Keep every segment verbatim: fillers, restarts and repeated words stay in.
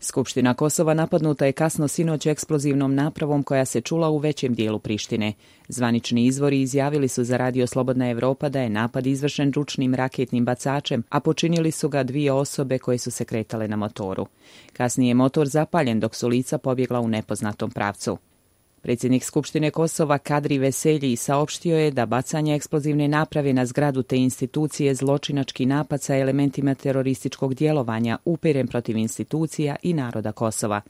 Skupština Kosova napadnuta je kasno sinoć eksplozivnom napravom koja se čula u većem dijelu Prištine. Zvanični izvori izjavili su za Radio Slobodna Evropa da je napad izvršen ručnim raketnim bacačem, a počinili su ga dvije osobe koje su se kretale na motoru. Kasnije je motor zapaljen dok su lica pobjegla u nepoznatom pravcu. Predsjednik Skupštine Kosova Kadri Veselji saopštio je da bacanje eksplozivne naprave na zgradu te institucije zločinački napad sa elementima terorističkog djelovanja upiren protiv institucija i naroda Kosova.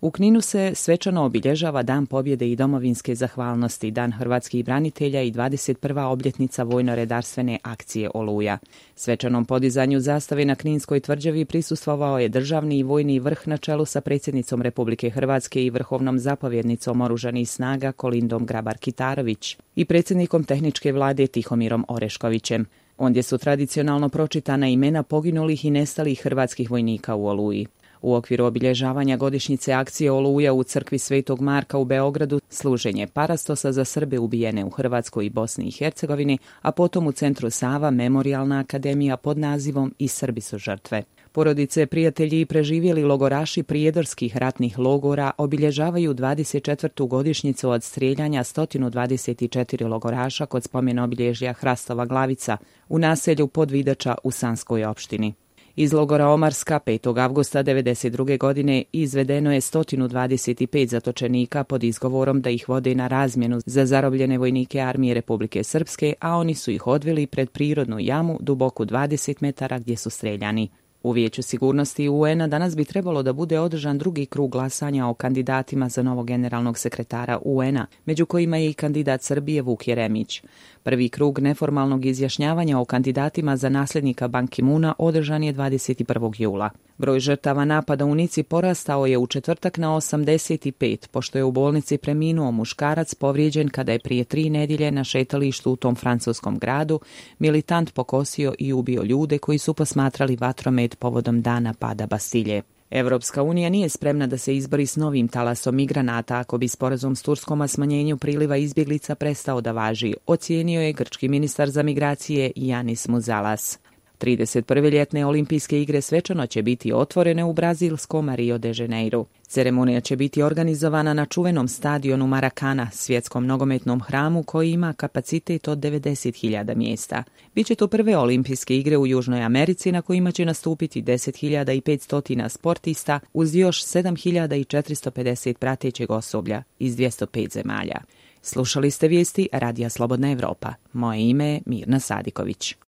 U Kninu se svečano obilježava Dan pobjede i domovinske zahvalnosti, Dan hrvatskih branitelja i dvadeset prva obljetnica vojno-redarstvene akcije Oluja. Svečanom podizanju zastave na Kninskoj tvrđavi prisustvovao je državni i vojni vrh na čelu sa predsjednicom Republike Hrvatske i vrhovnom zapovjednicom oružanih snaga Kolindom Grabar-Kitarović i predsjednikom tehničke vlade Tihomirom Oreškovićem. Ondje su tradicionalno pročitana imena poginulih i nestalih hrvatskih vojnika u Oluji. U okviru obilježavanja godišnjice akcije Oluja u crkvi Svetog Marka u Beogradu služenje parastosa za Srbe ubijene u Hrvatskoj i Bosni i Hercegovini, a potom u centru Sava Memorijalna akademija pod nazivom I Srbi su žrtve. Porodice, prijatelji i preživjeli logoraši prijedorskih ratnih logora obilježavaju dvadeset četvrtu godišnjicu od strijeljanja sto dvadeset četiri logoraša kod spomen obilježja Hrastova Glavica u naselju Podvidača u Sanskoj opštini. Iz logora Omarska petog avgusta devedeset druge godine izvedeno je sto dvadeset pet zatočenika pod izgovorom da ih vode na razmjenu za zarobljene vojnike armije Republike Srpske, a oni su ih odveli pred prirodnu jamu duboku dvadeset metara gdje su streljani. U Vijeću sigurnosti U N-a danas bi trebalo da bude održan drugi krug glasanja o kandidatima za novog generalnog sekretara U N-a, među kojima je i kandidat Srbije Vuk Jeremić. Prvi krug neformalnog izjašnjavanja o kandidatima za nasljednika Ban Ki-moona održan je dvadeset prvog jula. Broj žrtava napada u Nici porastao je u četvrtak na osamdeset pet, pošto je u bolnici preminuo muškarac povrijeđen kada je prije tri nedjelje na šetalištu u tom francuskom gradu militant pokosio i ubio ljude koji su posmatrali vatromet povodom dana pada Bastilje. Evropska unija nije spremna da se izbori s novim talasom migranata ako bi sporazum s Turskom o smanjenju priliva izbjeglica prestao da važi, ocijenio je grčki ministar za migracije Janis Muzalas. trideset prve ljetne olimpijske igre svečano će biti otvorene u brazilskom Rio de Janeiro. Ceremonija će biti organizovana na čuvenom stadionu Maracana, svjetskom nogometnom hramu koji ima kapacitet od devedeset hiljada mjesta. Biće to prve olimpijske igre u Južnoj Americi na kojima će nastupiti deset hiljada petsto sportista uz još sedam hiljada četiristo pedeset pratećeg osoblja iz dvjesto pet zemalja. Slušali ste vijesti Radija Slobodna Evropa. Moje ime je Mirna Sadiković.